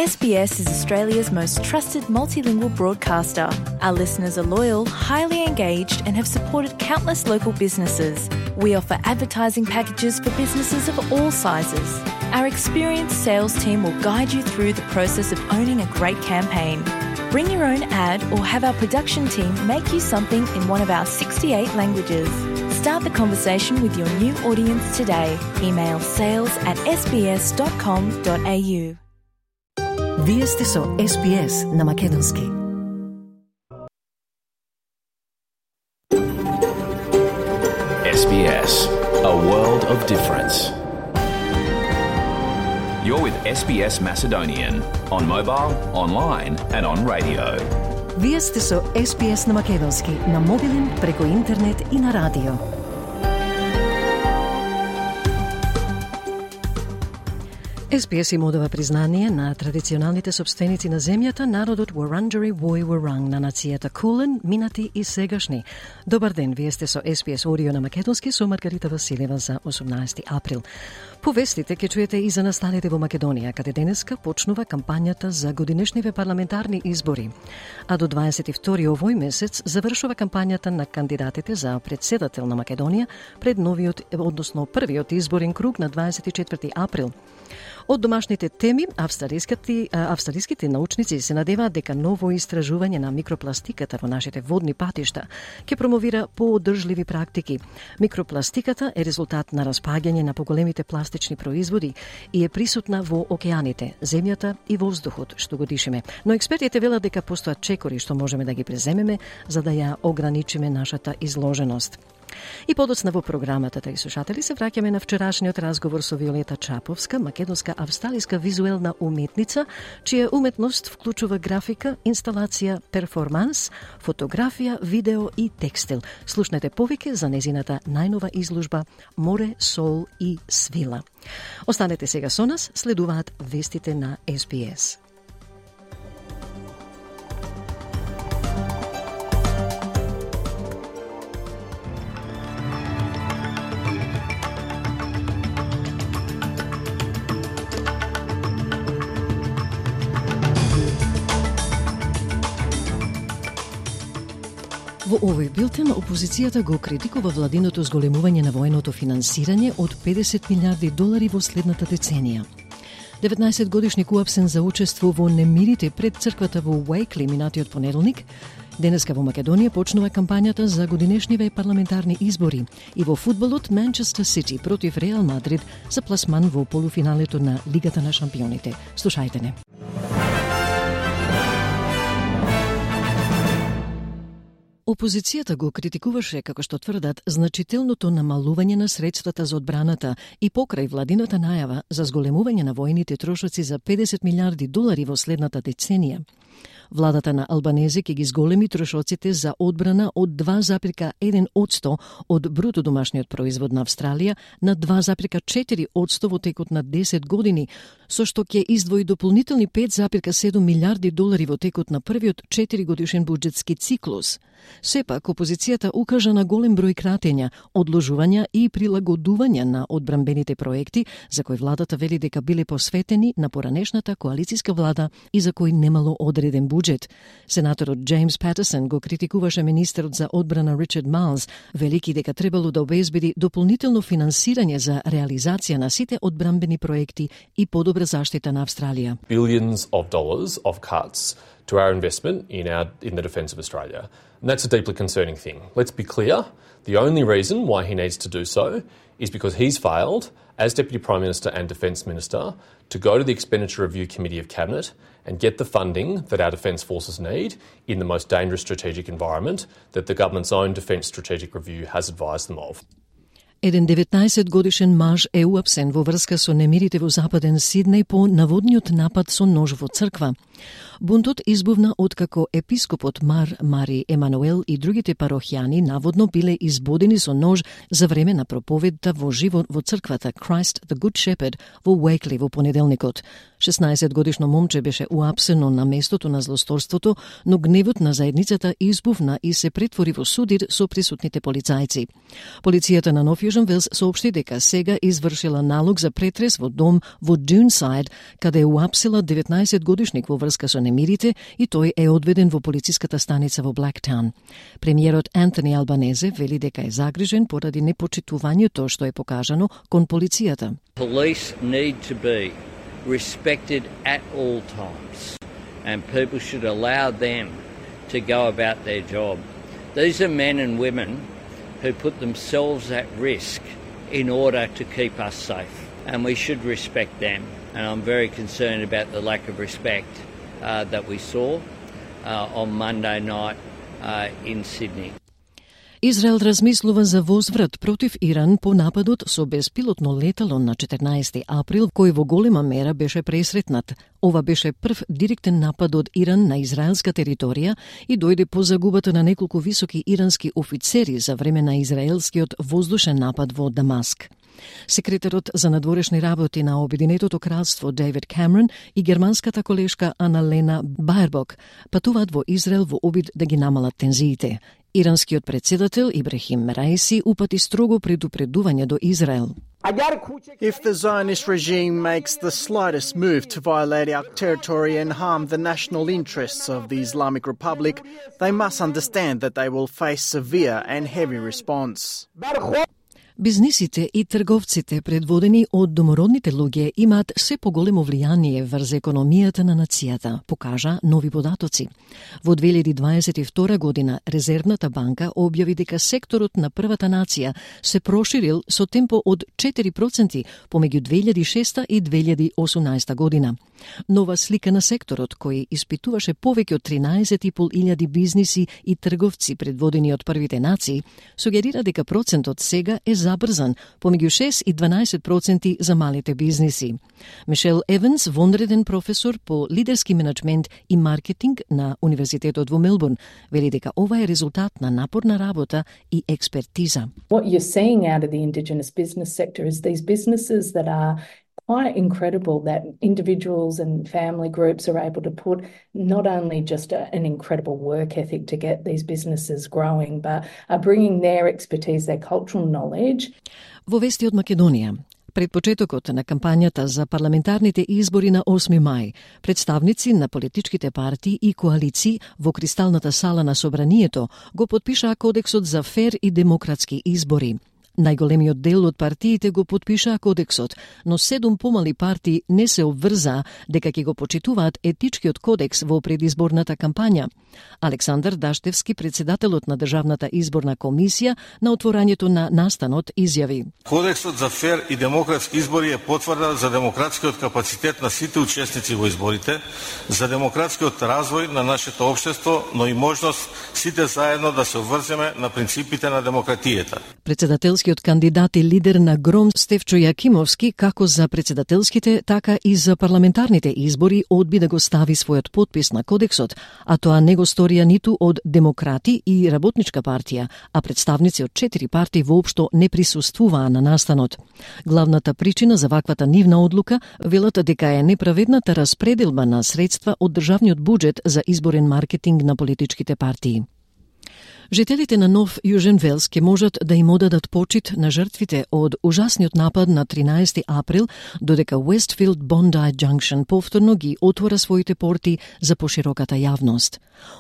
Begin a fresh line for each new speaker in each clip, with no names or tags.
SBS is Australia's most trusted multilingual broadcaster. Our listeners are loyal, highly engaged, and have supported countless local businesses. We offer advertising packages for businesses of all sizes. Our experienced sales team will guide you through the process of owning a great campaign. Bring your own ad or have our production team make you something in one of our 68 languages. Start the conversation with your new audience today. Email sales@sbs.com.au.
Вие сте со SBS на македонски.
SBS, a world of difference. You're with SBS Macedonian on mobile, online and on radio.
Вие сте со SBS на македонски на мобилен, преку интернет и на радио. SBS им одава признание на традиционалните собственици на земјата, народот Wurundjeri Woi Wurrung на нацијата Кулен, минати и сегашни. Добар ден, вие сте со SBS Audio на македонски со Маргарита Василева за 18 април. Повестите ќе чуете и за настаните во Македонија, каде денеска почнува кампањата за годинешниве парламентарни избори. А до 22 овој месец завршува кампањата на кандидатите за председател на Македонија пред првиот изборен круг на 24 април. Од домашните теми, австралиските научници се надеваат дека ново истражување на микропластиката во нашите водни патишта ќе промовира поодржливи практики. Микропластиката е резултат на распаѓање на поголемите пластични производи и е присутна во океаните, земјата и воздухот, што го дишеме. Но експертите велат дека постојат чекори што можеме да ги преземеме за да ја ограничиме нашата изложеност. И подоцна во програмата, тај слушатели, се враќаме на вчерашниот разговор со Виолета Чаповска, македонска-австралиска визуелна уметница, чија уметност вклучува графика, инсталација, перформанс, фотографија, видео и текстил. Слушнете повеќе за незината најнова изложба Море, сол и свила. Останете сега со нас, следуваат вестите на SBS. Во овој билтен, опозицијата го критикува владиното зголемување на военото финансирање од $50 милиарди во следната деценија. 19-годишник уапсен за учество во немирите пред црквата во Уајкли минатиот понеделник. Денеска во Македонија почнува кампањата за годинешниве парламентарни избори и во фудбалот Манчестер Сити против Реал Мадрид за пласман во полуфиналето на Лигата на шампионите. Слушајте не. Опозицијата го критикуваше, како што тврдат, значителното намалување на средствата за одбраната и покрај владината најава за зголемување на војните трошоци за $50 милиарди во следната деценија. Владата на Албанезе ќе ги зголеми трошоците за одбрана од 2,1% од бруто домашниот производ на Австралија на 2,4% во текот на 10 години, со што ќе издвои дополнителни $5,7 милиарди во текот на првиот 4-годишен буџетски циклус. Сепак, опозицијата укажа на голем број кратења, одложувања и прилагодувања на одбранбените проекти, за кои владата вели дека биле посветени на поранешната коалицијска влада и за кои немало одреден буџет. Сенаторот Джеймс Патерсон го критикуваше министерот за одбрана Ричард Майлс, велики дека требало да обезбеди дополнително финансирање за реализација на сите одбранбени проекти и подобра заштита на Австралија.
Billions of dollars of cuts to our investment in the defence of Australia. And that's a deeply concerning thing. Let's be clear, the only reason why he needs to do so is because he's failed, as Deputy Prime Minister and Defence Minister, to go to the Expenditure Review Committee of Cabinet and get the funding that our defence forces need in the most dangerous strategic environment that the government's own Defence Strategic Review has advised them of.
Еден 19-годишен маж е уапсен во врска со немирите во западен Сиднеј по наводниот напад со нож во црква. Бунтот избувна откако епископот Мари Емануел и другите парохјани наводно биле избодени со нож за време на проповедта во живо во црквата Christ the Good Shepherd во Уейкли во понеделникот. 16-годишно момче беше уапсено на местото на злосторството, но гневот на заедницата избувна и се претвори во судир со присутните полицајци. Полицијата на Нов Јужен Велс соопшти дека сега извршила налог за претрес во дом во Дюнсайд, каде уапсила 19-годишник во врска со немирите и тој е одведен во полициската станица во Блактаун. Премиерот Антони Албанезе вели дека е загрижен поради непочитувањето што е покажано кон полицијата.
Police need to be respected at all times, and people should allow them to go about their job. These are men and women who put themselves at risk in order to keep us safe, and we should respect them. And I'm very concerned about the lack of respect that we saw on Monday night in Sydney.
Израел размислува за возврат против Иран по нападот со беспилотно летало на 14 април, кој во голема мера беше пресретнат. Ова беше прв директен напад од Иран на израелска територија и дојде по загубата на неколку високи ирански офицери за време на израелскиот воздушен напад во Дамаск. Секретарот за надворешни работи на Обединетото кралство Дейвид Камерон и германската колешка Аналена Баербок патуваат во Израел во обид да ги намалат тензиите. Иранскиот председател Ибрахим Раиси упати строго предупредување до Израел.
If the Zionist regime makes the slightest move to violate our territory and harm the national interests of the Islamic Republic, they must understand that they will face severe and heavy response.
Бизнисите и трговците предводени од домородните луѓе имаат се поголемо влијание врз економијата на нацијата, покажа нови податоци. Во 2022 година Резервната банка објави дека секторот на првата нација се проширил со темпо од 4% помеѓу 2006 и 2018 година. Нова слика на секторот, кој испитуваше повеќе од 13.500 бизниси и трговци предводени од првите нации, сугерира дека процентот сега е забрзан, помеѓу 6 и 12% за малите бизниси. Мишел Еванс, вонреден професор по лидерски менеджмент и маркетинг на Универзитетот во Мелбурн, вели дека ова е резултат на напорна работа и експертиза.
What you're seeing out of the Indigenous business sector is these businesses that are quite incredible, that individuals and family groups are able to put not only just an incredible work ethic to get these businesses growing, but are bringing their expertise, their cultural knowledge.
Во вести од Македонија, пред почетокот на кампањата за парламентарните избори на 8 мај, представници на политичките партии и коалиции во Кристалната сала на Собранието го потпишаа Кодексот за фер и демократски избори. Најголемиот дел од партиите го потпишаа кодексот, но 7 помали партии не се обврзаа дека ќе го почитуваат етичкиот кодекс во предизборната кампања. Александар Даштевски, председателот на Државната изборна комисија, на отворањето на настанот изјави:
Кодексот за фер и демократски избори е потврда за демократскиот капацитет на сите учесници во изборите, за демократскиот развој на нашето општество, но и можност сите заедно да се обврземе на принципите на демократијата.
Председателскиот кандидат и лидер на ГРОМ Стефчо Јакимовски, како за председателските, така и за парламентарните избори, одби да го стави својот потпис на кодексот, а тоа не го сторија ниту од Демократи и Работничка партија, а представници од 4 партии воопшто не присуствуваа на настанот. Главната причина за ваквата нивна одлука велат дека е неправедната распределба на средства од државниот буџет за изборен маркетинг на политичките партии. Жителите на Нов Јужен Велс ќе можат да им одадат почит на жртвите од ужасниот напад на 13 април, додека Westfield Bondi Junction повторно ги отвора своите порти за пошироката јавност.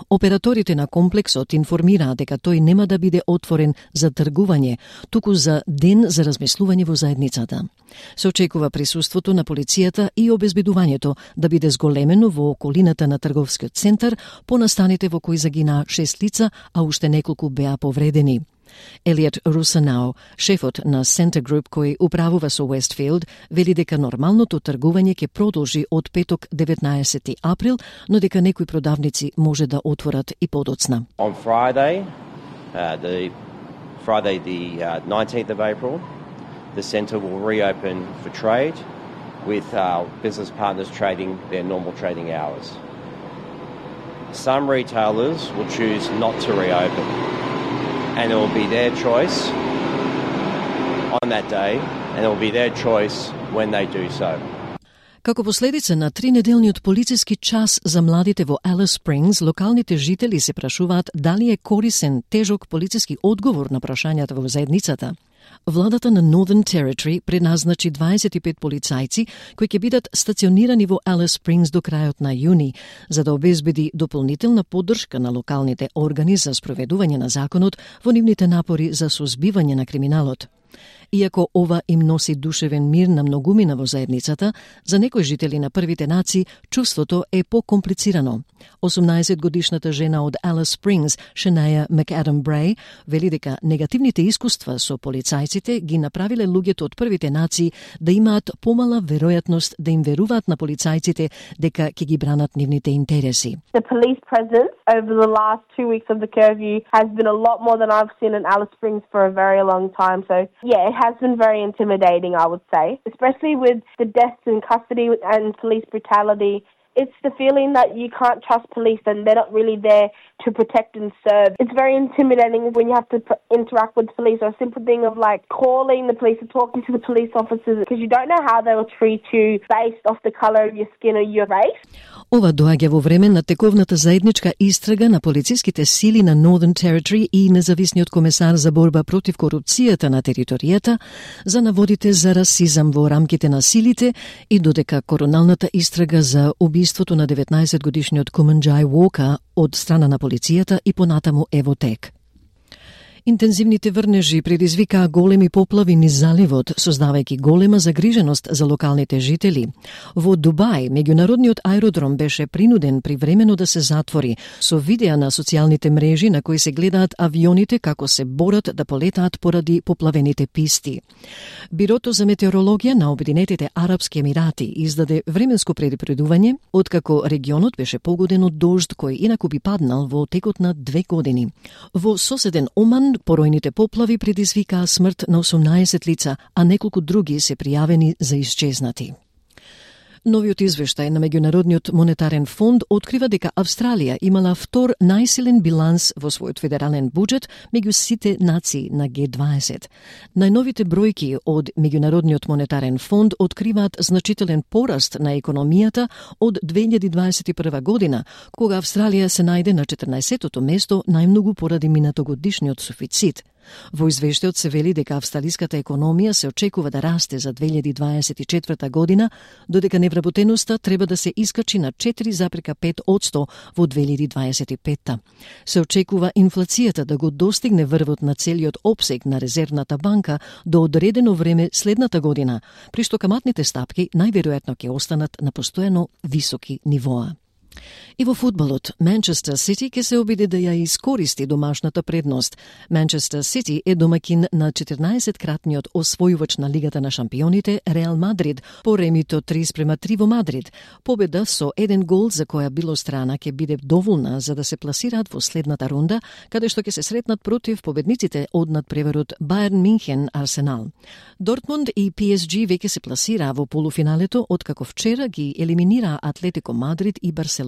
Операторите на комплексот информираа дека тој нема да биде отворен за тргување, туку за ден за размислување во заедницата. Се очекува присуството на полицијата и обезбедувањето да биде зголемено во околината на трговскиот центар по настаните во кои загинаа 6 лица, а уште неколку беа повредени. Елиот Русанао, шефот на Center Group кој управува со Westfield, вели дека нормалното тргување ќе продолжи од петок 19 април, но дека некои продавници може да отворат и подоцна.
On Friday, the 19th of April, the centre will reopen for trade with our business partners trading their normal trading hours. some retailers will choose not to reopen, and it will be their choice on that day, and it will be their choice when they do so.
Како последица на 3-неделниот полициски час за младите во Алис Спрингс, локалните жители се прашуваат дали е корисен тежок полициски одговор на прашањата во заедницата. Владата на Northern Territory предназначи 25 полицајци кои ќе бидат стационирани во Алис Спрингс до крајот на јуни, за да обезбеди дополнителна поддршка на локалните органи за спроведување на законот во нивните напори за сузбивање на криминалот. Иако ова им носи душевен мир на многумина во заедницата, за некои жители на првите нации чувството е покомплицирано. 18-годишната жена од Алис Спрингс, Шенаја Макадам Брей, вели дека негативните искуства со полицајците ги направиле луѓето од првите нации да имаат помала веројатност да им веруваат на полицајците дека ќе ги бранат нивните интереси.
The police presence over the last 2 weeks of the curfew has been a lot more than I've seen in Alice Springs for a very long time. So yeah, it has been very intimidating, I would say, especially with the deaths in custody and police brutality. It's the feeling that you can't trust police and they're not really there to protect and serve. It's very intimidating when you have to interact with police, or a simple thing of like calling the police or talking to the police officers, because you don't know how they will treat you based off the colour of your skin or your race.
Ова доаѓа во време на тековната заедничка истрага на полициските сили на Northern Territory и независниот комесар за борба против корупцијата на територијата за наводите за расизам во рамките на силите и додека короналната истрага за убиството на 19-годишниот Куманџај Уока од страна на полицијата и понатаму е во тек. Интензивните врнежи предизвикаа големи поплави низ заливот, создавајќи голема загриженост за локалните жители. Во Дубај, меѓународниот аеродром беше принуден привремено да се затвори, со видеа на социјалните мрежи на кои се гледаат авионите како се борат да полетаат поради поплавените писти. Бирото за метеорологија на Обединетите Арапски Емирати издаде временско предупредување, откако регионот беше погоден од дожд кој инаку би паднал во текот на 2 години. Во соседен Оман поројните поплави предизвикаа смрт на 18 лица, а неколку други се пријавени за исчезнати. Новиот извештај на Меѓународниот монетарен фонд открива дека Австралија имала втор најсилен биланс во својот федерален буџет меѓу сите нации на G20. Најновите бројки од Меѓународниот монетарен фонд откриваат значителен пораст на економијата од 2021 година, кога Австралија се најде на 14-тото место најмногу поради минатогодишниот суфицит. Во извештајот се вели дека австралиската економија се очекува да расте за 2024 година, додека невработеноста треба да се искачи на 4,5% во 2025. Се очекува инфлацијата да го достигне врвот на целиот опсег на Резервната банка до одредено време следната година, при што каматните стапки најверојатно ќе останат на постојано високи нивоа. И во фудбалот, Манчестер Сити ќе се обиде да ја искористи домашната предност. Манчестер Сити е домакин на 14-кратниот освојувач на Лигата на шампионите Реал Мадрид по ремито 3:3 во Мадрид. Победа со 1 гол за која било страна ќе биде доволна за да се пласираат во следната рунда, каде што ќе се сретнат против победниците од надпреварот Бајерн Минхен Арсенал. Дортмунд и PSG веќе се пласираа во полуфиналето, откако вчера ги елиминираа Атлетико Мадрид и Барселона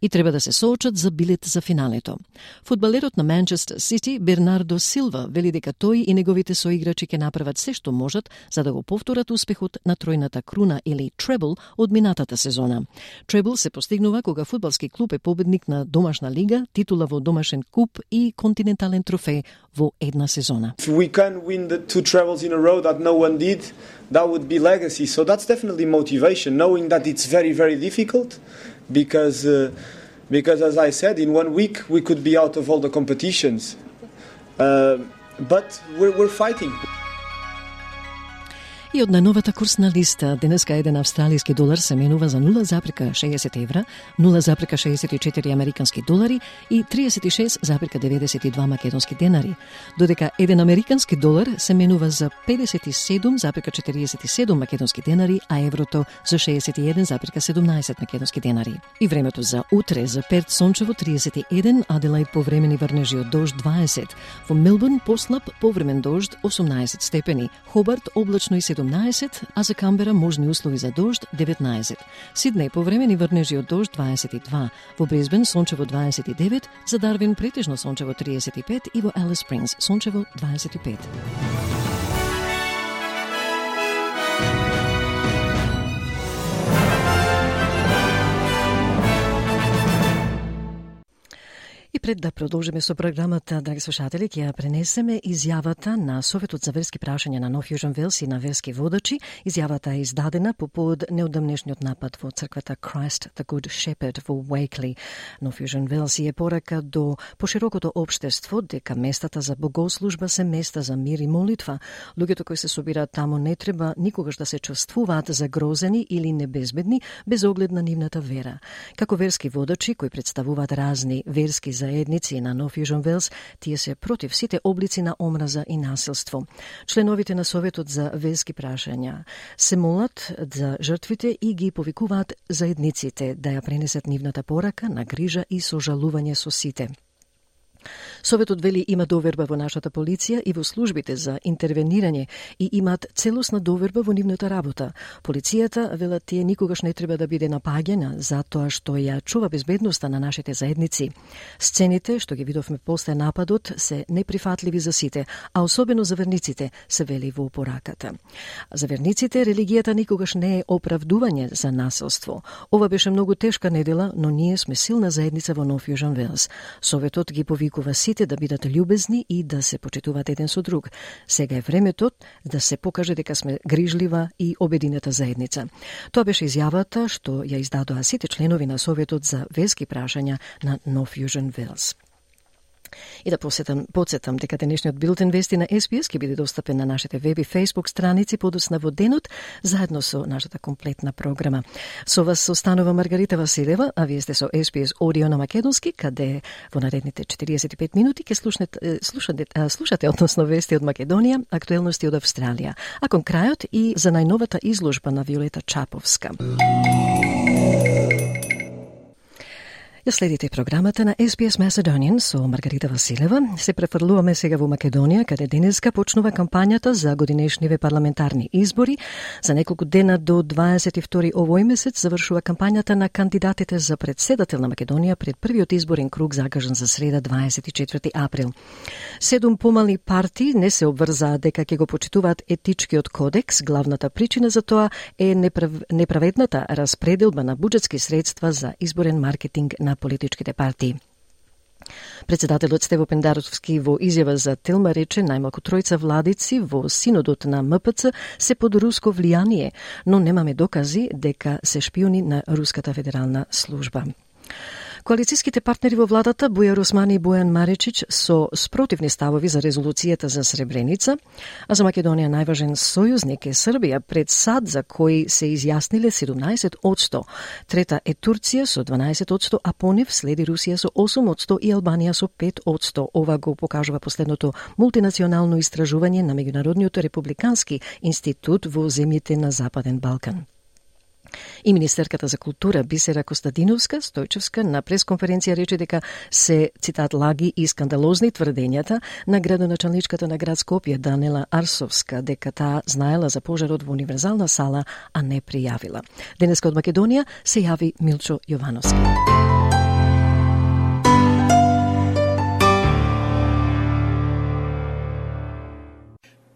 и треба да се соочат за билет за финалето. Фудбалерот на Манчестер Сити Бернардо Силва вели дека тој и неговите соиграчи ќе направат се што можат за да го повторат успехот на тројната круна или требл од минатата сезона. Требл се постигнува кога фудбалски клуб е победник на домашна лига, титула во домашен куп и континентален трофеј во една сезона.
If we can win the 2 trebles in a row that no one did, that would be legacy. So that's definitely motivation, knowing that it's very, very difficult because as I said, in 1 week we could be out of all the competitions. But we're fighting.
И од најновата курсна листа, денеска еден австралиски долар се менува за 0,60 евра, 0,64 американски долари и 36,92 македонски денари, додека еден американски долар се менува за 57,47 македонски денари, а еврото за 61,17 македонски денари. И времето за утре за Перт сончево 31, Аделаид повремени врнежи од дожд 20, во Мелбурн послаб повремен дожд 18 степени, Хобарт облачно и 17 17, а за Камбера можни услови за дожд 19. Сиднеј повремени врнежи од дожд 22, во Брисбен сончево 29, за Дарвин претежно сончево 35 и во Алис Спрингс сончево 25. И пред да продолжиме со програмата, драги слушатели, ќе ја пренесеме изјавата на Советот за верски прашања на Нов Јужен Велс и на верски водачи. Изјавата е издадена по повод неодамнешниот напад во црквата Christ the Good Shepherd во Уейкли. Нов Јужен Велс е порака до поширокото општество дека местата за богослужба се места за мир и молитва. Луѓето кои се собираат таму не треба никогаш да се чувствуваат загрозени или небезбедни без оглед на нивната вера. Како верски водачи кои представуваат разни верски заедници на Нов Јужен Велс, тие се против сите облици на омраза и насилство. Членовите на Советот за верски прашања се молат за жртвите и ги повикуваат заедниците да ја пренесат нивната порака на грижа и сожалување со сите. Советот вели има доверба во нашата полиција и во службите за интервенирање и имаат целосна доверба во нивната работа. Полицијата, велат тие, никогаш не треба да биде напаѓана затоа што ја чува безбедноста на нашите заедници. Сцените што ги видовме после нападот се неприфатливи за сите, а особено за верниците, се вели во пораката. За верниците религијата никогаш не е оправдување за насилство. Ова беше многу тешка недела, но ние сме силна заедница во Нов Јужен Велс. Советот ги повикува сите да бидат љубезни и да се почитуваат еден со друг. Сега е времето да се покаже дека сме грижлива и обединета заедница. Тоа беше изјавата што ја издадоа сите членови на Советот за верски прашања на Нов Јужен Велс. И да подсетам дека денешниот билтен вести на SBS ќе биде достапен на нашите веб и Facebook страници подоцна во денот, заедно со нашата комплетна програма. Со вас останува Маргарита Василева, а вие сте со SBS Audio на македонски, каде во наредните 45 минути ќе слушате односно вести од Македонија, актуелности од Австралија, а кон крајот и за најновата изложба на Виолета Чаповска. Ја следите програмата на SBS Macedonian со Маргарита Василева. Се префрлуваме сега во Македонија, каде денеска почнува кампањата за годинешниве парламентарни избори. За неколку дена до 22 овој месец завршува кампањата на кандидатите за председател на Македонија пред првиот изборен круг закажан за среда 24 април. 7 помални партии не се обврзаа дека ќе го почитуваат етичкиот кодекс. Главната причина за тоа е неправедната распределба на буџетски средства за изборен маркетинг на политичките партии. Председателот Стево Пендаровски во изјава за Телма рече најмалку тројца владици во синодот на МПЦ се под руско влијание, но немаме докази дека се шпиони на Руската федерална служба. Коалицијските партнери во владата Бујар Османи и Бојан Маречич со спротивни ставови за резолуцијата за Сребреница, а за Македонија најважен сојузник е Србија пред САД за кој се изјасниле 17%. Трета е Турција со 12%, а по нив следи Русија со 8% и Албанија со 5%. Ова го покажува последното мултинационално истражување на Меѓународниот републикански институт во земјите на Западен Балкан. И министерката за култура Бисера Костадиновска Стојчевска на пресконференција рече дека се, цитат, лаги и скандалозни тврдењата на градоначалничката на град Скопје Данела Арсовска дека таа знаела за пожарот во универзална сала, а не пријавила. Денеска од Македонија се јави Милчо Јовановски.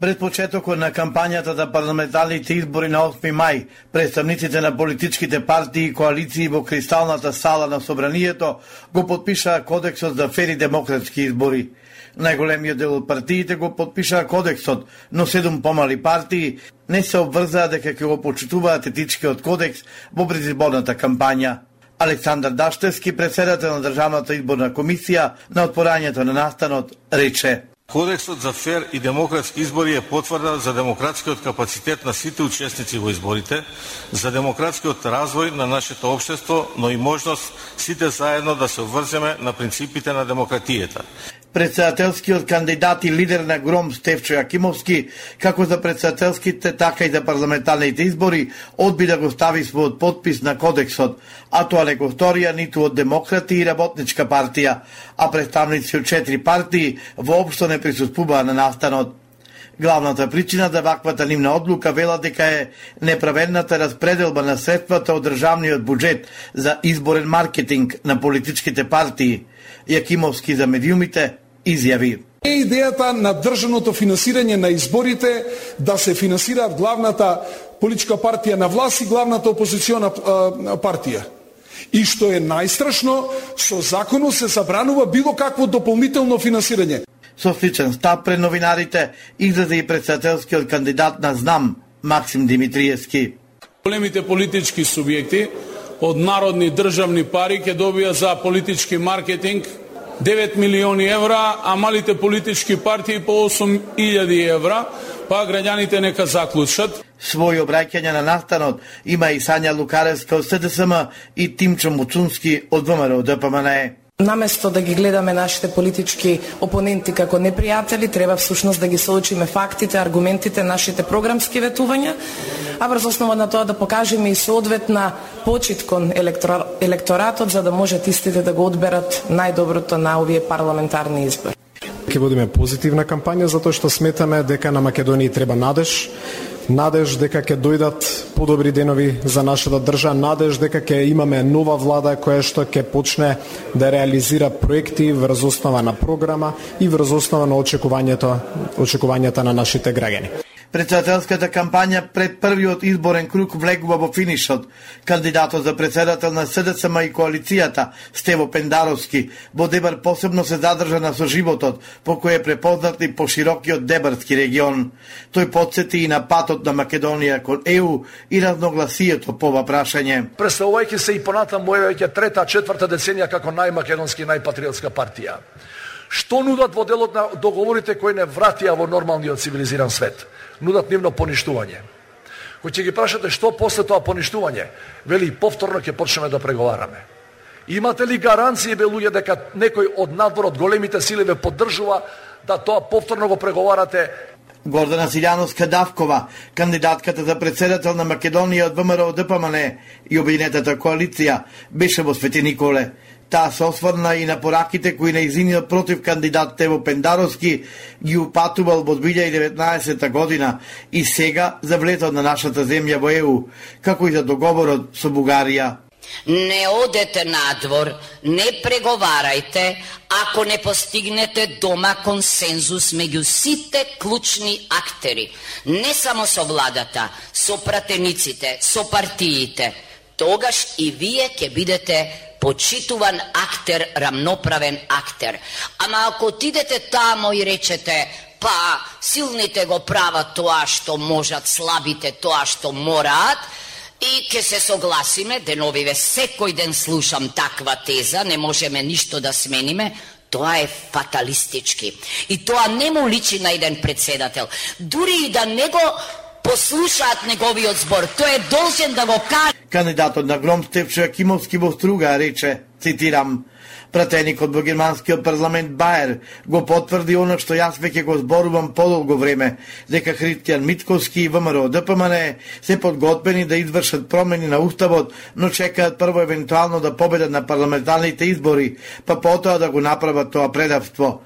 Пред почетокот на кампањата за парламентарните избори на 8 мај, представниците на политичките партии и коалиции во Кристалната сала на Собранието го подпишаа Кодексот за фери демократски избори. Најголемиот дел од партиите го подпишаа Кодексот, но 7 помали партии не се обврзаа дека ќе го почитуваат етичкиот кодекс во предизборната кампања. Александар Даштевски, председател на Државната изборна комисија, на отпорањето на настанот рече:
Кодексот за фер и демократски избори е потврда за демократскиот капацитет на сите учесници во изборите, за демократскиот развој на нашето општество, но и можност сите заедно да се обврземе на принципите на демократијата.
Председателскиот кандидат и лидер на ГРОМ Стефчо Јакимовски, како за председателските, така и за парламентарните избори, одби да го стави својот подпис на кодексот, а тоа не го сторија ниту од Демократи и Работничка партија, а представници од 4 партии воопшто не присуствуваа на настанот. Главната причина за ваквата нивна одлука вела дека е неправедната распределба на средствата од државниот буџет за изборен маркетинг на политичките партии. Јакимовски за медиумите изјави:
Е идејата на државното финансирање на изборите да се финансираат главната политичка партија на власт и главната опозициона партија. И што е најстрашно, со законот се забранува било какво дополнително финансирање.
Со сличен став пред новинарите излезе и председателскиот кандидат на ЗНАМ Максим Димитриевски.
Големите политички субјекти од народни државни пари ќе добија за политички маркетинг 9 милиони евра, а малите политички партии по 8.000 евра, па граѓаните нека заклучат.
Своји обраќања на настанот има и Сања Лукаревска од СДСМ и Тимчо Муцунски од ВМРО ДПМНЕ.
Наместо да ги гледаме нашите политички опоненти како непријатели, треба всушност да ги соочиме фактите, аргументите, нашите програмски ветувања, а врз основа на тоа да покажеме и соодветна почит кон електоратот за да можат истите да го одберат најдоброто на овие парламентарни избори.
Ќе водиме позитивна кампања затоа што сметаме дека на Македонија треба надеж дека ќе дојдат подобри денови за нашата држава, надеж дека ќе имаме нова влада која што ќе почне да реализира проекти врз основа на програма и врз основа на очекувањата на нашите граѓани.
Председателската кампања пред првиот изборен круг влегува во финишот. Кандидатот за председател на СДСМ и коалицијата Стево Пендаровски во Дебар посебно се задржа на соживотот по кој е препознат и по широкиот Дебарски регион. Тој потсети и на патот на Македонија кон ЕУ и разногласието по ова прашање.
Представувајќи се и понатаму веќе трета, четврта деценија како најмакедонски, најпатриотска партија. Што нудат во делот на договорите кои не вратија во нормалниот цивилизиран свет? Нудат нивно поништување. Кој ќе ги прашате што после тоа поништување, вели повторно ќе почнеме да преговараме. Имате ли гаранции, бе луѓе, дека некој од надвор од големите сили ве поддржува да тоа повторно го преговарате?
Гордана Силјановска-Давкова, кандидатката за председател на Македонија од ВМРО ДПМНЕ и Обединетата коалиција, беше во Свети Николе. Таа се осврна и на пораките кои нејзиниот против кандидат Тево Пендаровски ги упатувал во 2019 година и сега за влетот на нашата земја во ЕУ, како и за договорот со Бугарија.
Не одете надвор, не преговарајте ако не постигнете дома консензус меѓу сите клучни актери, не само со владата, со пратениците, со партиите. Тогаш и вие ќе бидете почитуван актер, рамноправен актер. Ама ако отидете тамо и речете, па силните го прават тоа што можат, слабите тоа што мораат, и ќе се согласиме, деновиве секој ден слушам таква теза, не можеме ништо да смениме, тоа е фаталистички. И тоа не му личи на еден председател. Дури и да не го послушаат неговиот збор, тој е должен да го каже.
Кандидатот на Гром Стефчо Јакимовски во Струга рече, цитирам: пратеникот во германскиот парламент Баер го потврди оно што јас веќе го зборувам подолго време, дека Христијан Митковски и ВМРО ДПМНЕ се подготвени да извршат промени на уставот, но чекаат прво евентуално да победат на парламентарните избори, па потоа да го направат тоа предавство,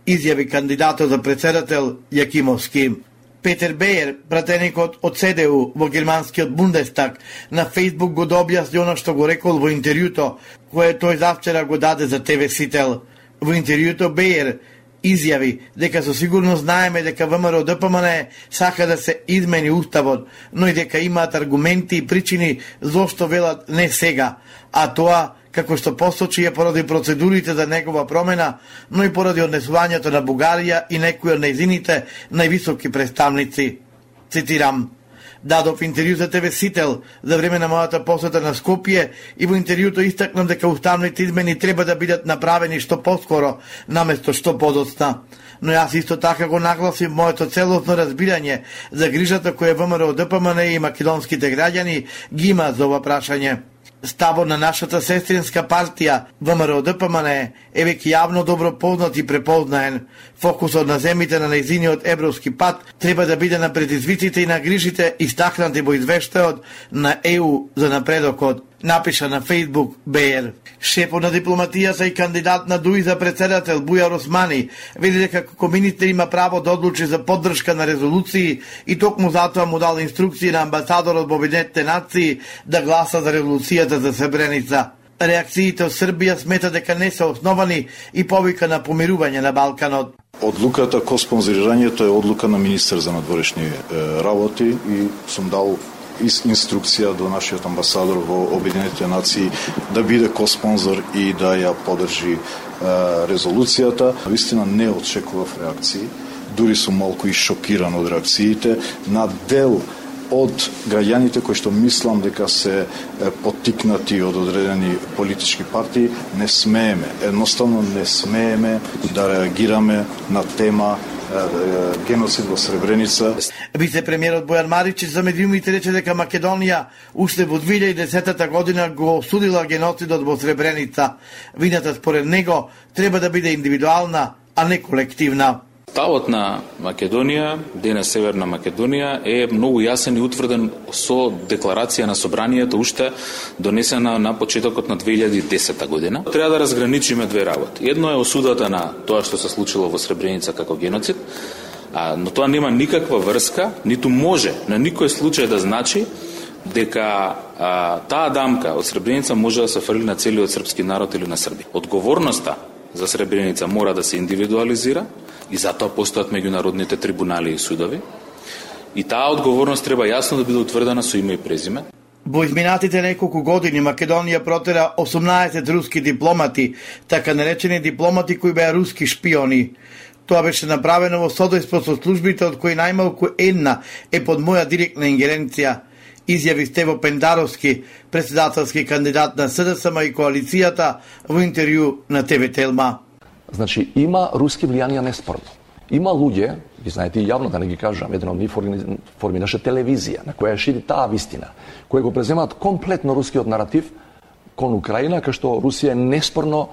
изјави кандидатот за председател Јакимовски. Петер Бејер, пратеникот од ЦДУ во германскиот Бундестаг, на Фејсбук го објасни оно што го рекол во интервјуто, кое тој завчера го даде за ТВ Сител. Во интервјуто Бејер изјави дека со сигурност знаеме дека ВМРО ДПМНЕ сака да се измени уставот, но и дека имаат аргументи и причини зошто велат не сега, а тоа како што посочи е поради процедурите за негова промена, но и поради однесувањето на Бугарија и некои од нејзините највисоки представници. Цитирам: дадов интервју за ТВ Сител за време на мојата посета на Скопје и во интервјуто истакнам дека уставните измени треба да бидат направени што поскоро, наместо што подоцна. Но јас исто така го нагласив моето целосно разбирање за грижата која ВМРО ДПМНЕ и македонските граѓани ги имаат за ова прашање. Ставот на нашата сестринска партија ВМРО ДПМНЕ е веќе јавно добро познат и препознаен. Фокусот на земите на нејзиниот европски пат треба да биде на предизвиците и на грижите истакнати во извештајот на ЕУ за напредокот напиша на Facebook БР. Шефот на дипломатијата и кандидат на ДУИ за председател Бујар Османи вели дека како министер има право да одлучи за поддршка на резолуции и токму затоа му дал инструкции на амбасадорот во Обединетите нации да гласа за резолуцијата за Сребреница. Реакциите од Србија смета дека не се основани и повика на помирување на Балканот.
Одлуката ко спонзорирањето е одлука на министер за надворешни работи и сум дал инструкција до нашиот амбасадор во Обединетите нации да биде ко-спонзор и да ја поддржи резолуцијата. Вистина не очекував реакции, дури сум малку и шокиран од реакциите на дел од граѓаните кои што мислам дека се поттикнати од одредени политички партии. Не смееме, едноставно не смееме да реагираме на тема геноцид во Сребреница.
Вице-премиерот Бојан Маричич за медиумите рече дека Македонија уште во 2010 година го осудила геноцидот во Сребреница. Вината според него треба да биде индивидуална, а не колективна.
Ставот на Македонија, денес Северна Македонија, е многу јасен и утврден со декларација на собранието уште донесена на почетокот на 2010 година. Треба да разграничиме две работи. Едно е осудата на тоа што се случило во Сребреница како геноцид, но тоа нема никаква врска, ниту може на никој случај да значи дека таа дамка од Сребреница може да се фрли на целиот српски народ или на Србија. Одговорноста за Сребреница мора да се индивидуализира и затоа постојат меѓународните трибунали и судови. И таа одговорност треба јасно да биде утврдена со име и презиме.
Во изминатите неколку години Македонија протера 18 руски дипломати, така наречени дипломати кои беа руски шпиони. Тоа беше направено во содејство со службите од кои најмалку една е под моја директна ингеренција, изјави Стево Пендаровски, председателски кандидат на СДСМ и коалицијата во интервју на ТВ Телма.
Значи, има руски влијанија неспорно. Има луѓе, ги знаете и јавно да не ги кажам, еден од нив формираше телевизија, на која шири таа вистина, кои го преземаат комплетно рускиот наратив кон Украина, кај што Русија е неспорно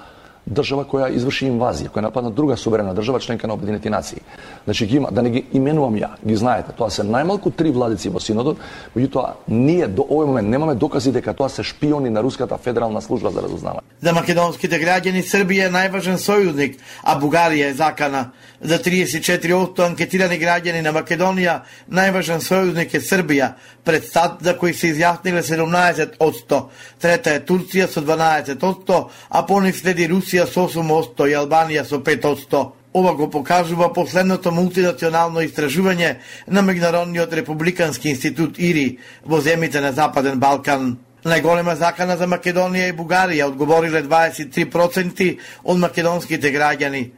држава која изврши инвазија, која нападна друга суверена држава, членка на Обединети нации. Значи ги има, да не ги именувам ја, ги знаете, тоа се најмалку 3 владици во синодот, меѓутоа ние до овој момент немаме докази дека тоа се шпиони на Руската федерална служба за разузнавање.
За македонските граѓани Србија е најважен сојузник, а Бугарија е закана. За 34% анкетирани граѓани на Македонија најважен сојузник е Србија, пред САД за кои се изјасниле 17%. Трета е Турција со 12%, а по нив следи Русија со 8% и Албанија со 5%. Ова го покажува последното мултинационално истражување на Меѓународниот републикански институт ИРИ во земјите на Западен Балкан. Најголема закана за Македонија и Бугарија одговориле 23% од македонските граѓани.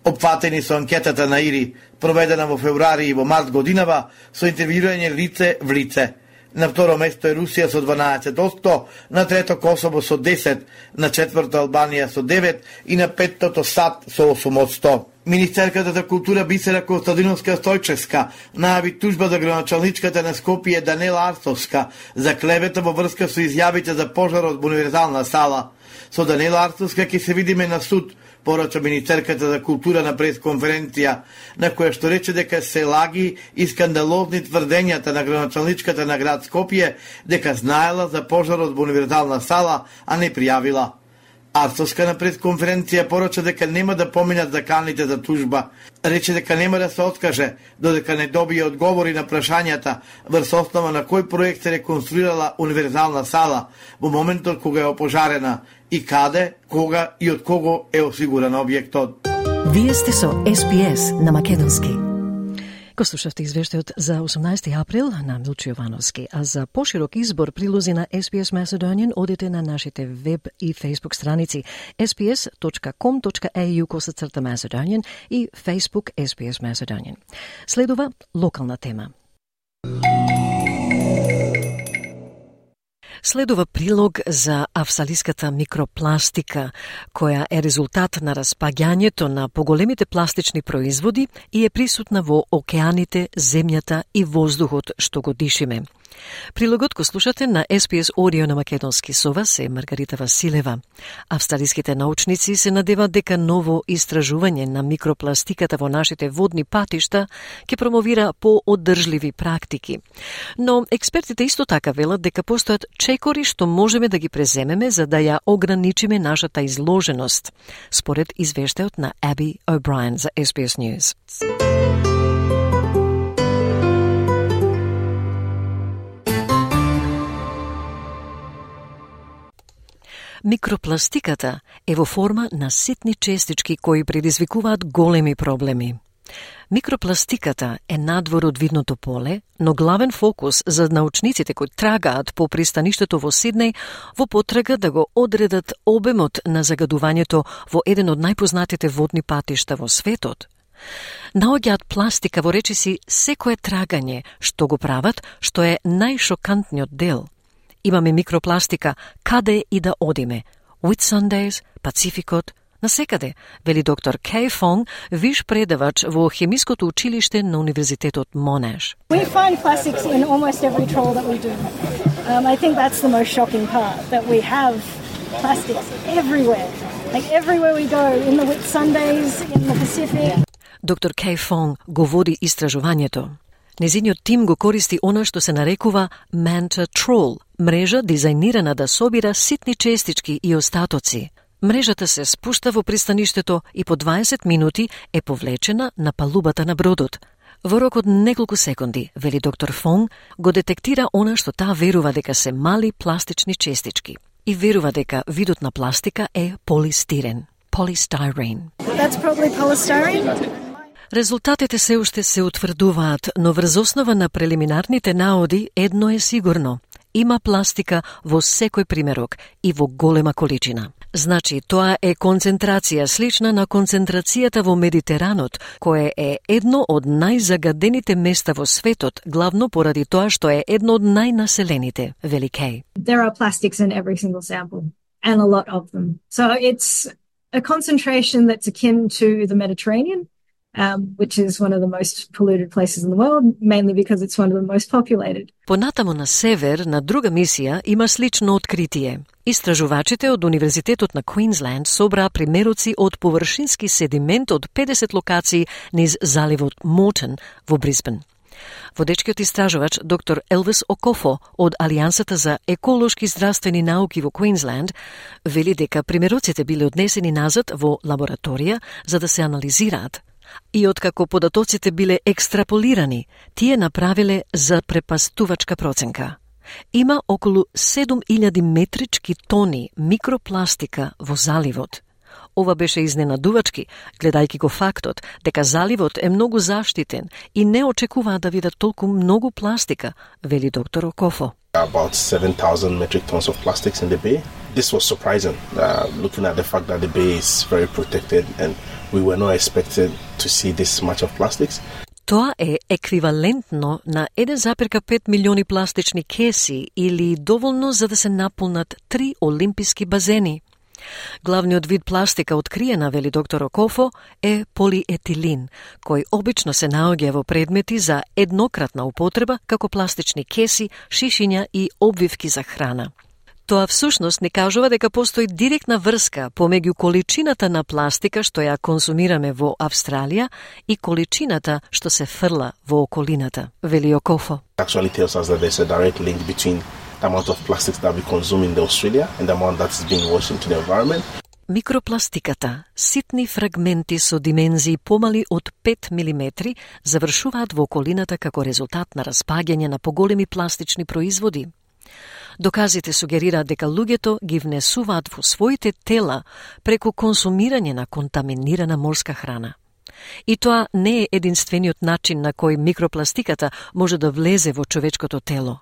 Опфатени со анкетата на ИРИ, проведена во февруари и во март годинава, со интервјуирање лице в лице. На второ место е Русија со 12%, на трето Косово со 10%, на четврто Албанија со 9% и на петтото САД со 8%. Министерката за култура Бисера Костадиновска Стојчевска најави тужба за градоначалничката на Скопје Данела Арцовска за клевета во врска со изјавите за пожарот во универзална сала. Со Данела Арцовска ќе се видиме на суд, порача министерката за култура на пресконференција, на која што рече дека се лаги и скандалозни тврдењата на градоначалничката на град Скопје дека знаела за пожарот во универзална сала, а не пријавила. Арцовска на пресконференција порача дека нема да поминат заканите за тужба. Рече дека нема да се откаже додека не добие одговори на прашањата врз основа на кој проект се реконструирала универзална сала во моментот кога е опожарена и каде, кога и од кого е осигуран објектот.
Вие сте со SPS на македонски. Го слушавте извештајот за 18 април на Милчо Јовановски, а за поширок избор прилози на SPS Macedonian одите на нашите веб и Facebook страници sps.com.au/Macedonian и Facebook SPS Macedonian. Следува локална тема. Следува прилог за австралиската микропластика, која е резултат на распаѓањето на поголемите пластични производи и е присутна во океаните, земјата и воздухот што го дишиме. Прилогот го слушате на SPS Audio на македонски. Со вас е Маргарита Василева. Австралиските научници се надеваат дека ново истражување на микропластиката во нашите водни патишта ќе промовира по-оддржливи практики. Но експертите исто така велат дека постојат чекори што можеме да ги преземеме за да ја ограничиме нашата изложеност, според извештајот на Abby O'Brien за SBS News. Микропластиката е во форма на ситни честички кои предизвикуваат големи проблеми. Микропластиката е надвор од видното поле, но главен фокус за научниците кои трагаат по пристаништето во Сиднеј во потрага да го одредат обемот на загадувањето во еден од најпознатите водни патишта во светот. Наоѓаат пластика во речиси секое трагање, што го прават, што е најшокантниот дел. Имаме микропластика каде и да одиме. Whitsundays, Пацификот, насекаде, вели доктор Kay Fong, виш предавач во хемиското училиште на Универзитетот Monash.
We find plastics in almost every trawl that we do. I think that's the most shocking part, that we have plastics everywhere. Like everywhere we go, in the Whitsundays, in the Pacific.
Доктор Kay Fong го води истражувањето. Незиниот тим го користи она што се нарекува Manta Trawl, мрежа дизајнирана да собира ситни честички и остатоци. Мрежата се спушта во пристаништето и по 20 минути е повлечена на палубата на бродот. Во рок од неколку секунди, вели доктор Фонг, го детектира она што таа верува дека се мали пластични честички. И верува дека видот на пластика е полистирен, polystyrene.
That's probably polystyrene.
Резултатите се уште се утврдуваат, но врз основа на прелиминарните наоди едно е сигурно. Има пластика во секој примерок и во голема количина. Значи, тоа е концентрација слична на концентрацијата во Медитеранот, кое е едно од најзагадените места во светот, главно поради тоа што е едно од најнаселените, вели Кей.
There are plastics in every single sample, and a lot of them. So it's a concentration that's akin to the Mediterranean, which is one of the most polluted places in the world, mainly because it's one of the most populated.
Понатамо на север, на друга мисија, има слично откритие. Истражувачите од Универзитетот на Квинсленд собраа примероци од површински седимент од 50 локации низ заливот Мортон во Брисбен. Водечкиот истражувач доктор Елвис Окофо од Алијансата за еколошки здравствени науки во Квинсленд вели дека примероците биле однесени назад во лабораторија за да се анализираат. И откако податоците биле екстраполирани, тие направиле запрепастувачка проценка. Има околу 7000 метрички тони микропластика во заливот. Ова беше изненадувачки, гледајќи го фактот дека заливот е многу заштитен и не очекуваат да видат толку многу пластика, вели доктор Окофо.
About 7,000 metric tons of plastics in the bay. This was surprising, looking at the fact that the bay is very protected and we were not expected to see this much of plastics.
Тоа е еквивалентно на 1,5 милиони пластични кеси или доволно за да се наполнат 3 олимписки базени. Главниот вид пластика откриена, вели доктор Окофо, е полиетилин, кој обично се наоѓа во предмети за еднократна употреба, како пластични кеси, шишиња и обвивки за храна. Тоа всушност ни кажува дека постои директна врска помеѓу количината на пластика што ја консумираме во Австралија и количината што се фрла во околината, вели Окофо.
Actually tells us that there's a direct link between the amount of plastics that we consume in Australia and the amount that is being washed into the environment.
Микропластиката, ситни фрагменти со димензии помали од 5 мм, завршуваат во околината како резултат на распаѓање на поголеми пластични производи. Доказите сугерираат дека луѓето ги внесуваат во своите тела преку консумирање на контаминирана морска храна. И тоа не е единствениот начин на кој микропластиката може да влезе во човечкото тело.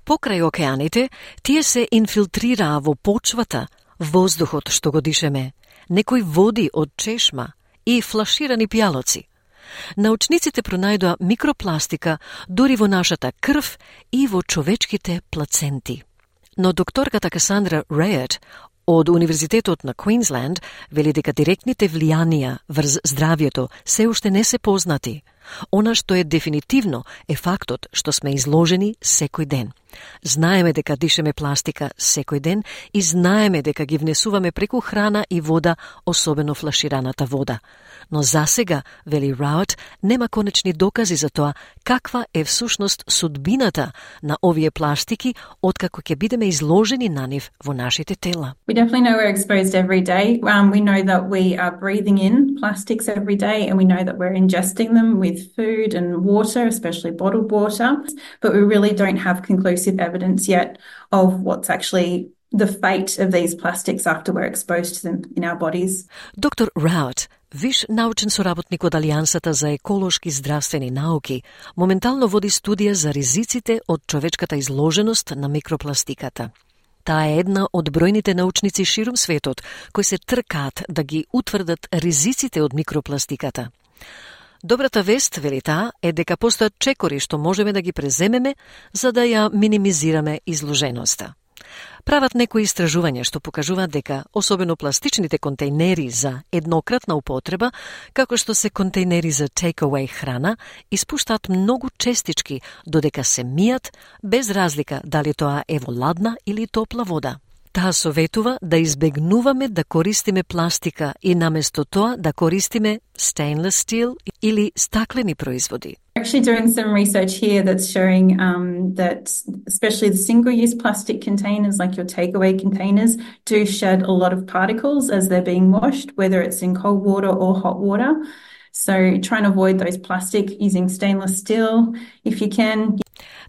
Покрај океаните, тие се инфилтрираа во почвата, воздухот што го дишеме, некои води од чешма и флаширани пијалоци. Научниците пронајдоа микропластика дури во нашата крв и во човечките плаценти. Но докторката Касандра Рејет од Универзитетот на Квинсленд вели дека директните влијанија врз здравјето се уште не се познати, Она што е дефинитивно е фактот што сме изложени секој ден. Знаеме дека дишеме пластика секој ден и знаеме дека ги внесуваме преку храна и вода, особено флашираната вода. Но засега, вели Раут, нема конечни докази за тоа каква е всушност судбината на овие пластики откако ќе бидеме изложени на нив во нашите тела.
We definitely know we're exposed every day. We know that we are breathing in plastics every day, and we know that we're ingesting them with food and water, especially bottled water. But we really don't have conclusive evidence yet of what's actually the fate of these plastics after we're exposed to them in our bodies.
Доктор Раут, виш научен соработник од Алијансата за еколошки здравствени науки, моментално води студија за ризиците од човечката изложеност на микропластиката. Таа е една од бројните научници ширум светот кои се тркаат да ги утврдат ризиците од микропластиката. Добрата вест, вели таа, е дека постојат чекори што можеме да ги преземеме за да ја минимизираме изложеноста. Прават некои истражувања што покажуваат дека особено пластичните контейнери за еднократна употреба, како што се контейнери за take-away храна, испуштаат многу честички додека се мијат, без разлика дали тоа е во ладна или топла вода. Таа советува да избегнуваме да користиме пластика и наместо тоа да користиме stainless steel или стаклени производи.
We're actually doing some research here that's showing that especially the single-use plastic containers, like your takeaway containers, do shed a lot of particles as they're being washed, whether it's in cold water or hot water. So try and avoid those plastic using stainless steel if you can.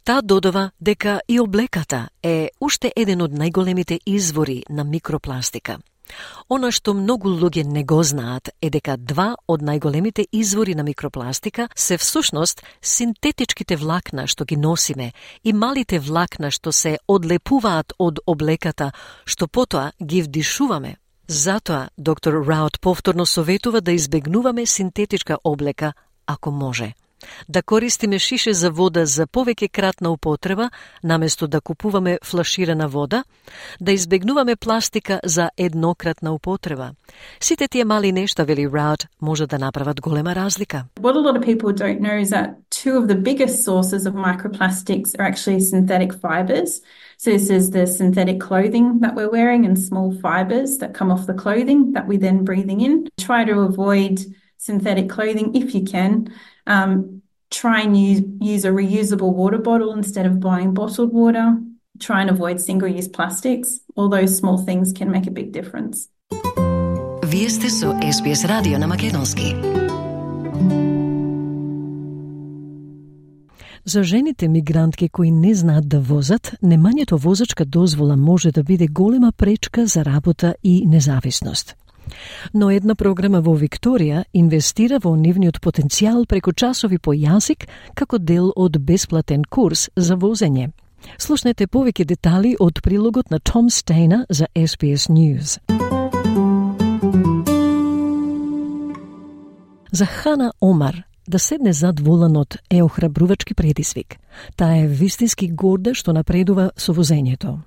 Таа додава дека и облеката е уште еден од најголемите извори на микропластика. Она што многу луѓе не го знаат е дека два од најголемите извори на микропластика се всушност синтетичките влакна што ги носиме и малите влакна што се одлепуваат од облеката, што потоа ги вдишуваме. Затоа доктор Раут повторно советува да избегнуваме синтетичка облека ако може. Да користиме шише за вода за повеќе кратна употреба, наместо да купуваме флаширана вода, да избегнуваме пластика за еднократна употреба. Сите тие мали нешта, вели Раут, може да направат голема разлика.
What a lot of people don't know is that two of the biggest sources of microplastics are actually synthetic fibers. So this is the synthetic clothing that we're wearing and small fibers that come off the clothing that we then breathing in. Try to avoid synthetic clothing if you can. Try and use a reusable water bottle instead of buying bottled water. Try and avoid single-use plastics. All those small things can make a big difference.
Вие сте со SBS радио на македонски. За жените мигрантки кои не знаат да возат, немањето возачка дозвола може да биде голема пречка за работа и независност. Но една програма во Викторија инвестира во нивниот потенцијал преку часови по јазик како дел од бесплатен курс за возење. Слушнете повеќе детали од прилогот на Том Стейна за SBS News. За Хана Омар да седне зад воланот е охрабрувачки предизвик. Таа е вистински горда што напредува со возењето.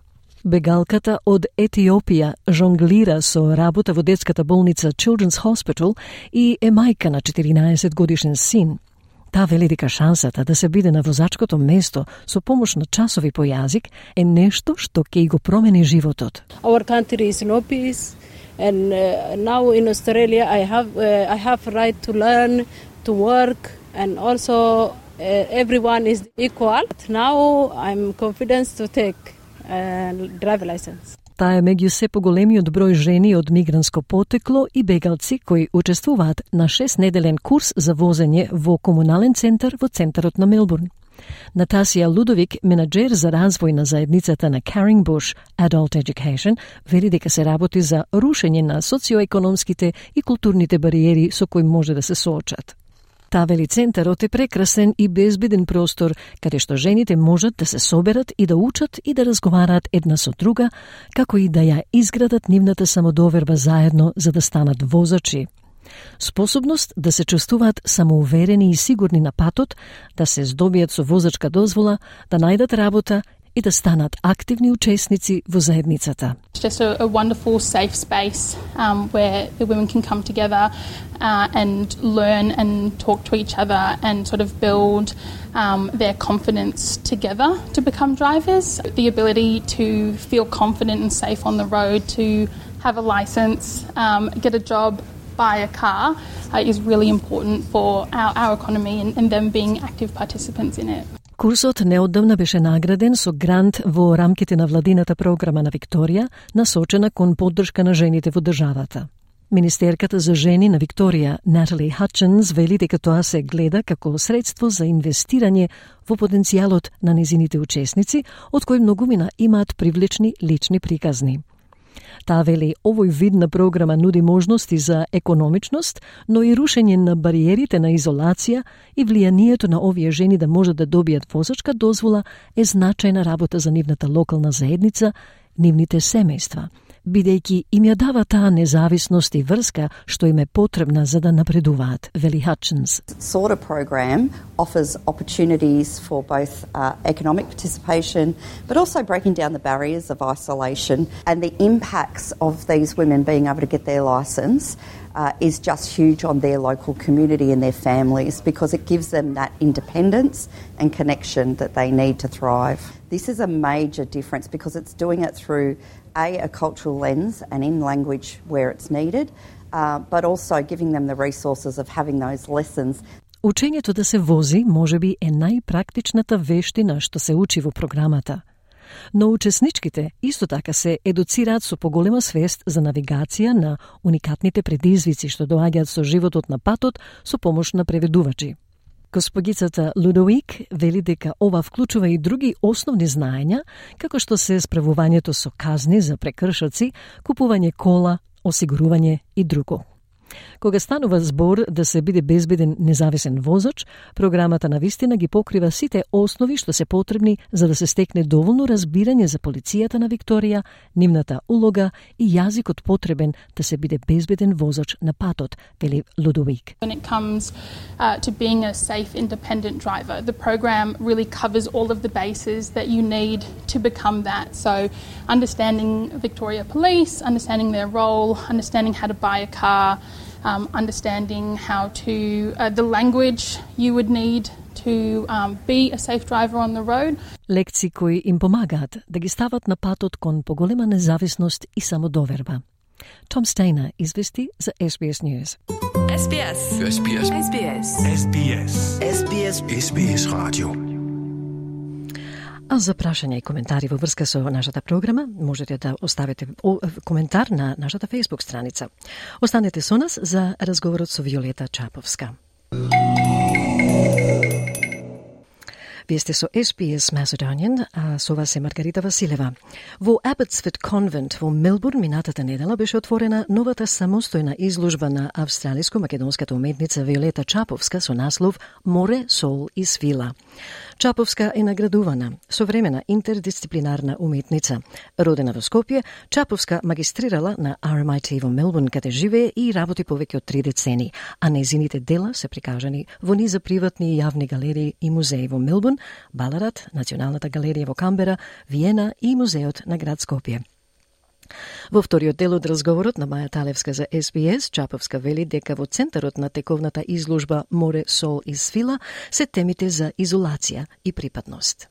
Бегалката од Етиопија жонглира со работа во детската болница Children's Hospital и е мајка на 14 годишен син. Таа вели дека шансата да се биде на возачкото место со помош на часови по јазик е нешто што ќе го промени животот.
Our country is no peace and now in Australia I have right to learn, to work and also everyone is equal. Now I'm confident to take driver license.
Таа е меѓу се поголемиот број жени од мигрантско потекло и бегалци кои учествуваат на 6-неделен курс за возење во комунален центар во центарот на Мелбурн. Натасија Лудовик, менаџер за развој на заедницата на Caringbush Adult Education, вели дека се работи за рушење на социоекономските и културните бариери со кои може да се соочат. Таа вели центарот е прекрасен и безбеден простор, каде што жените можат да се соберат и да учат и да разговараат една со друга, како и да ја изградат нивната самодоверба заедно за да станат возачи. Способност да се чувствуваат самоуверени и сигурни на патот, да се здобијат со возачка дозвола, да најдат работа и да станат активни учесници во заедницата.
It's just a wonderful safe space where the women can come together and learn and talk to each other and sort of build their confidence together to become drivers. The ability to feel confident and safe on the road, to have a license, get a job, buy a car is really important for our economy and them being active participants in it.
Курсот неодамна беше награден со грант во рамките на владината програма на Викторија, насочена кон поддршка на жените во државата. Министерката за жени на Викторија, Натали Хатчинс, вели дека тоа се гледа како средство за инвестирање во потенцијалот на незините учесници, од кои многумина имаат привлечни лични приказни. Таа вели овој вид на програма нуди можности за економичност, но и рушење на бариерите на изолација и влијанието на овие жени да можат да добијат возачка дозвола е значајна работа за нивната локална заедница, нивните семејства, бидејќи им ја дава таа независност и врска што им е потребна за да напредуваат, вели Hutchins.
Sort of program offers opportunities for both economic participation, but also breaking down the barriers of isolation, and the impacts of these women being able to get their licence is just huge on their local community and their families, because it gives them that independence and connection that they need to thrive. This is a major difference because it's doing it through a cultural lens and in language where it's needed, but also giving them the resources of having those lessons.
Учењето да се вози можеби е најпрактичната вештина што се учи во програмата. Но учесничките исто така се едуцираат со поголема свест за навигација на уникатните предизвици што доаѓаат со животот на патот со помош на преведувачи. Госпогицата Лудовик вели дека ова вклучува и други основни знаења, како што се справувањето со казни за прекршоци, купување кола, осигурување и друго. Кога станува збор да се биде безбеден независен возач, програмата на вистина ги покрива сите основи што се потребни за да се стекне доволно разбирање за полицијата на Викторија, нивната улога и јазикот потребен да се биде безбеден возач на патот, вели Лудовик.
When it comes to being a safe, independent driver, the program really covers all of the bases that you need to become that. So understanding Victoria Police, understanding their role, understanding how to buy a car, understanding how to the language you would need to be a safe driver on the road.
Лекции кои им помагаат да ги стават на патот кон поголема независност и самодоверба. Том Стейнер извести за SBS News.
SBS. SBS. SBS. SBS. SBS. SBS Radio.
А за прашања и коментари во врска со нашата програма, можете да оставите коментар на нашата Facebook страница. Останете со нас за разговорот со Виолета Чаповска. Вие сте со SBS Macedonian, а со вас е Маргарита Василева. Во Abbotsford Convent во Мелбурн минатата недела беше отворена новата самостојна изложба на австралиско-македонската уметница Виолета Чаповска со наслов Море, сол и свила. Чаповска е наградувана, современа интердисциплинарна уметница. Родена во Скопје, Чаповска магистрирала на RMIT во Мелбурн, каде живее и работи повеќе од 3 децени, а незините дела се прикажани во низа приватни и јавни галерии и музеи во Мелбурн, Баларат, Националната галерија во Камбера, Виена и музеот на град Скопје. Во вториот дел од разговорот на Маја Талевска за SBS, Чаповска вели дека во центарот на тековната изложба Море, сол и свила се темите за изолација и припадност.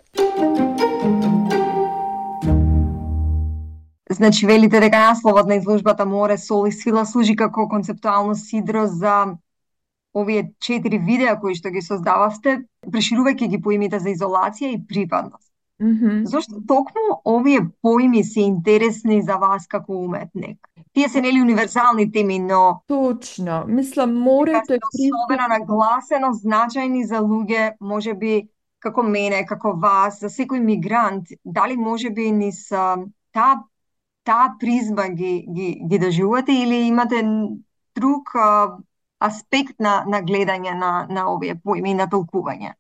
Значи, велите дека насловот на изложбата Море, сол и свила служи како концептуално сидро за овие 4 видеа кои што ги создававте, преширувајќи ги поимите за изолација и припадност. Зошто токму овие поими се интересни за вас како уметник? Тие се нели универзални теми, но
точно. Мислам, морето е
особено нагласено значајни за луѓе, можеби како мене, како вас, за секој мигрант. Дали можеби низ таа призма ги доживувате или имате друг аспект на гледање на овие поими и на толкување?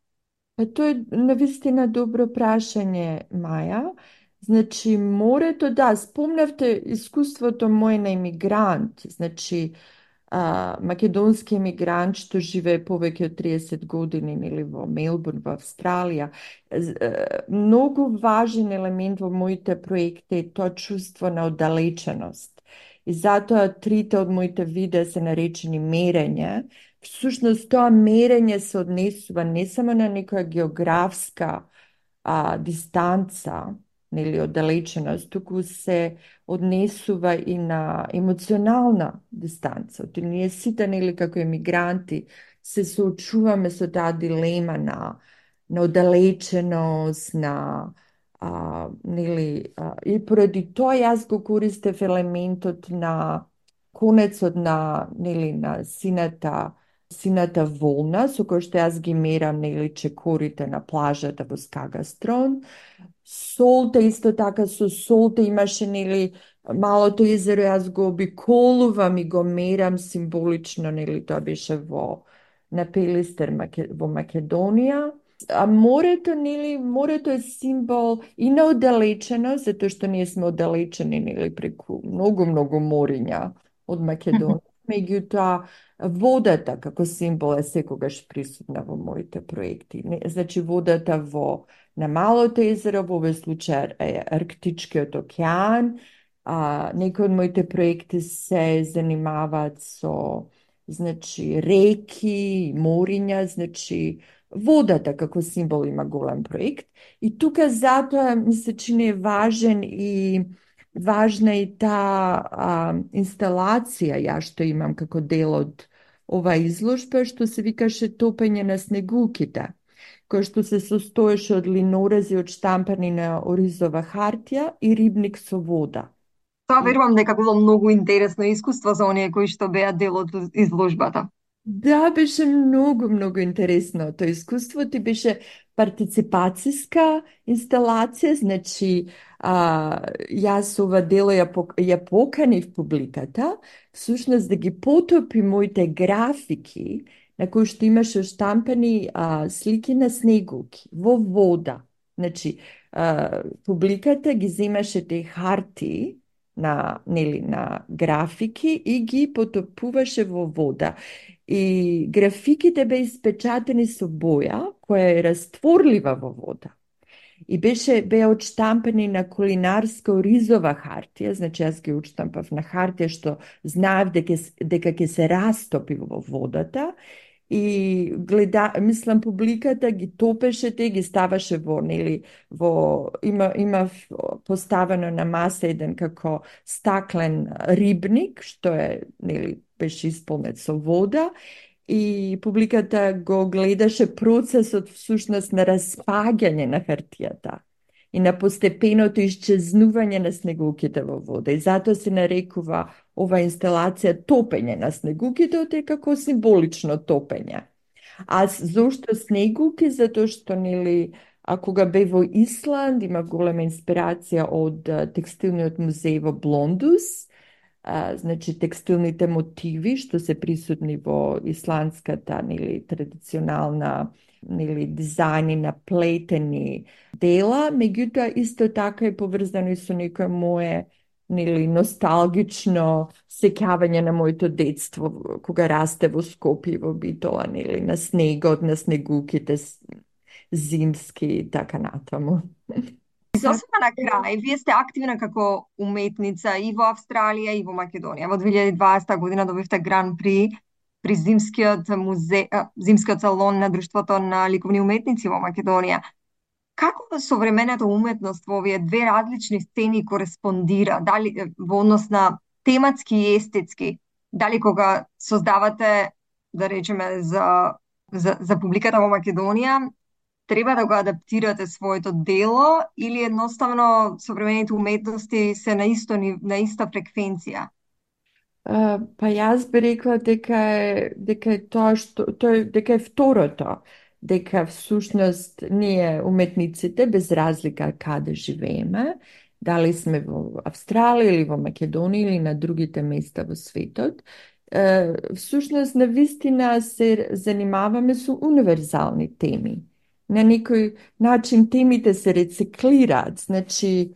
Тоа е навистина добро прашање, Маја. Значи, морето, да, спомнавте искуството моје на имигрант. Значи, македонски емигрант што живее повеќе од 30 години или во Мелбурн, во Австралија. Многу важен елемент во моите проекти е тоа чувство на оддалеченост. И затоа трите од моите видеа се наречени мерење. Всушност тоа мерење се однесува не само на некоја географска дистанца, или оддалеченост, туку се однесува и на емоционална дистанца. Ние сите, нели, како емигранти, се соочуваме со таа дилема на оддалеченост, и поради тоа јас го користев елементот на конецот на сината волна, со кој што јас ги мерам, чекорите на плажата во Скагастрон. Солта, исто така со солта имаше, малото езеро, јас го обиколувам и го мерам символично, тоа беше на Пелистер во Македонија. А морето, морето е символ и на оддалеченост, затоа што ние сме оддалечени, преку многу мориња од Македонија. Меѓутоа, водата како символ е секогаш присутна во моите проекти. Значи, водата на малото езеро, во овој случај е Арктичкиот океан. Некои од моите проекти се занимаваат со реки, мориња, водата како символ има голем проект. И тука затоа ми се чини важна и таа инсталација ја што имам како дел од ова изложба, што се викаше Топење на снегулките, кој што се состоеше од линорези одштампани на оризова хартија и рибник со вода.
Тоа верувам дека било многу интересно искуство за оние кои што беа дел од изложбата.
Да, беше многу интересно. Тоа искуство ти беше партиципацијска инсталација, значи јас ова дело ја поканив публиката, всушност да ги потопи моите графики на кои што имаше штампани слики на снегулки во вода. Значи, публиката ги земаше тие харти на графики и ги потопуваше во вода. И графиките беа испечатени со боја, која е растворлива во вода. И беа одштампени на кулинарска оризова хартија, значи јас ги одштампав на хартија што знаев дека ќе се растопи во водата. И мислам, публиката ги топеше те, ги ставаше има поставено на маса еден како стаклен рибник, што е, беше исполнет со вода, и публиката го гледаше процесот всушност на распаѓање на хартијата и на постепеното исчезнување на снегулките во вода. И затоа се нарекува ова инсталација Топење на снегулките, е како символично топење. А зошто снегулки? Затоа што, кога бев во Исланд, има голема инспирација од текстилниот музеј во Блондус, значи текстилните мотиви што се присутни во исландската традиционална дизајни на плетени дела, меѓутоа исто така е поврзано и со некој мое носталгично сеќавање на моето детство кога расте во Скопје, во Битола, на снегот, на снегулките зимски и така натаму.
Сосема на крај, вие сте активна како уметница и во Австралија и во Македонија. Во 2020 година добивте гран при зимскиот салон на Друштвото на ликовни уметници во Македонија. Како современата уметност во овие две различни сцени кореспондира, дали во однос на тематски и естетски, дали кога создавате, да речеме, за публиката во Македонија, треба да го адаптирате своето дело или едноставно современите уметности се на иста фреквенција?
Па јас би рекла дека е второто, дека всушност ние уметниците, без разлика каде живееме, дали сме во Австралија или во Македонија или на другите места во светот, всушност навистина се занимаваме со универзални теми. На некој начин темите се рециклираат, значи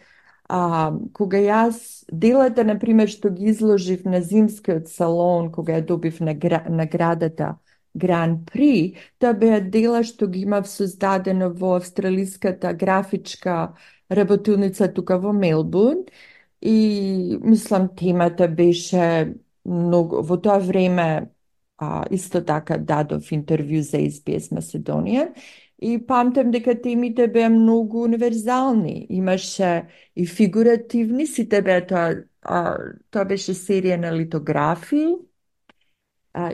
Кога јас делата, например, што ги изложив на зимскиот салон, кога ја добив наградата Гран При, тоа беа дела што ги имав создадено во австралиската графичка работилница тука во Мелбурн и мислам темата беше многу, во тоа време исто така дадов интервју за SBS Macedonian и памтам дека темите беа многу универзални. Имаше и фигуративни, сите беа тоа беше серија на литографии.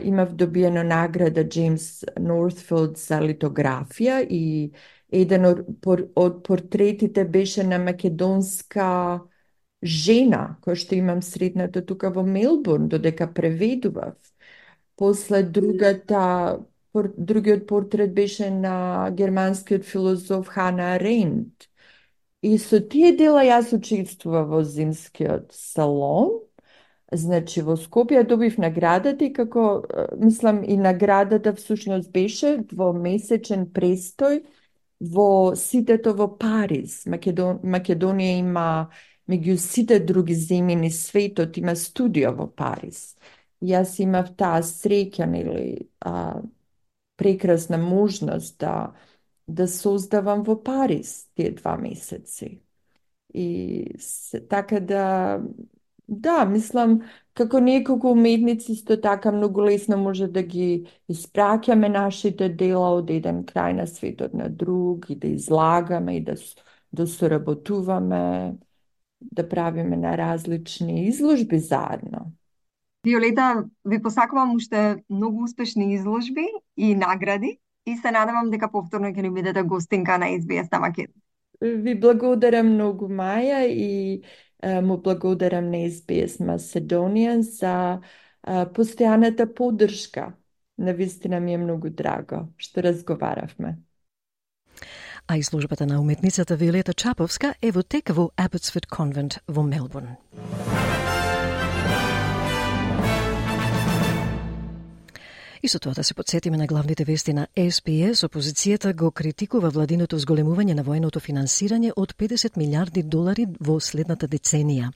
Имав добиено награда Джеймс Нортфилд за литографија и еден од портретите беше на македонска жена, која што имам сретната тука во Мелбурн, додека преведував. После другиот портрет беше на германскиот филозоф Хана Аренд. И со тие дела јас учествував во зимскиот салон. Значи, во Скопје добив наградата и како, мислам, и наградата всушност беше двомесечен престој во ситето во Париз. Македонија има, меѓу сите други земји низ светот, има студио во Париз. Јас имав таа среќа, прекрасна можност да создавам во Париз тие 2 месеци. И така да, мислам, како неколку уметници исто така многу лесно може да ги испраќаме нашите дела од еден крај на светот на друг и да излагаме и да соработуваме, да правиме на различни изложби заедно.
Виолета, ви посакувам уште многу успешни изложби и награди и се надевам дека повторно ќе ни бидете гостинка на SBS на Македонија.
Ви благодарам многу, Маја, и му благодарам на SBS Macedonian за постојаната поддршка. Навистина ми е многу драго што разговаравме.
А изложбата на уметницата Виолета Чаповска е во тек во Abbotsford Convent во Мелбурн. И со тоа да се подсетиме на главните вести на SBS, опозицијата го критикува владиното зголемување на военото финансирање од 50 милиарди долари во следната деценија.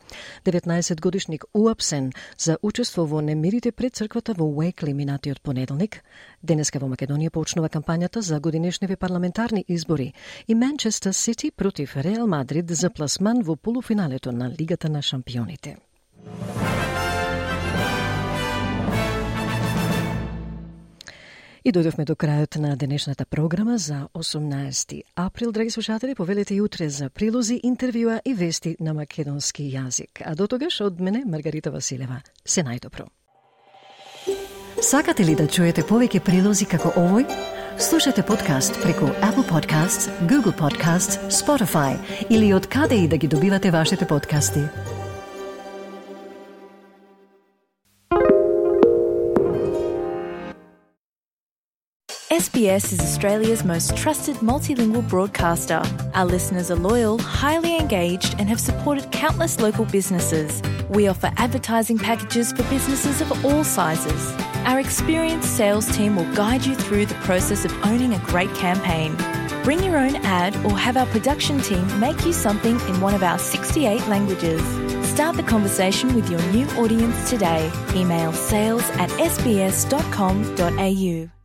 19-годишник уапсен за учество во немирите пред црквата во Уейкли минатиот понеделник. Денеска во Македонија почнува кампањата за годинешниве парламентарни избори и Манчестер Сити против Реал Мадрид за пласман во полуфиналето на Лигата на шампионите. И дојдовме до крајот на денешната програма за 18 април. Драги слушатели, повелете и утре за прилози, интервјуа и вести на македонски јазик. А до тогаш од мене, Маргарита Василева, се најдобро.
Сакате ли да чуете повеќе прилози како овој? Слушате подкаст преку Apple Podcasts, Google Podcasts, Spotify или од каде и да ги добивате вашите подкасти.
SBS is Australia's most trusted multilingual broadcaster. Our listeners are loyal, highly engaged, and have supported countless local businesses. We offer advertising packages for businesses of all sizes. Our experienced sales team will guide you through the process of owning a great campaign. Bring your own ad or have our production team make you something in one of our 68 languages. Start the conversation with your new audience today. Email sales@sbs.com.au.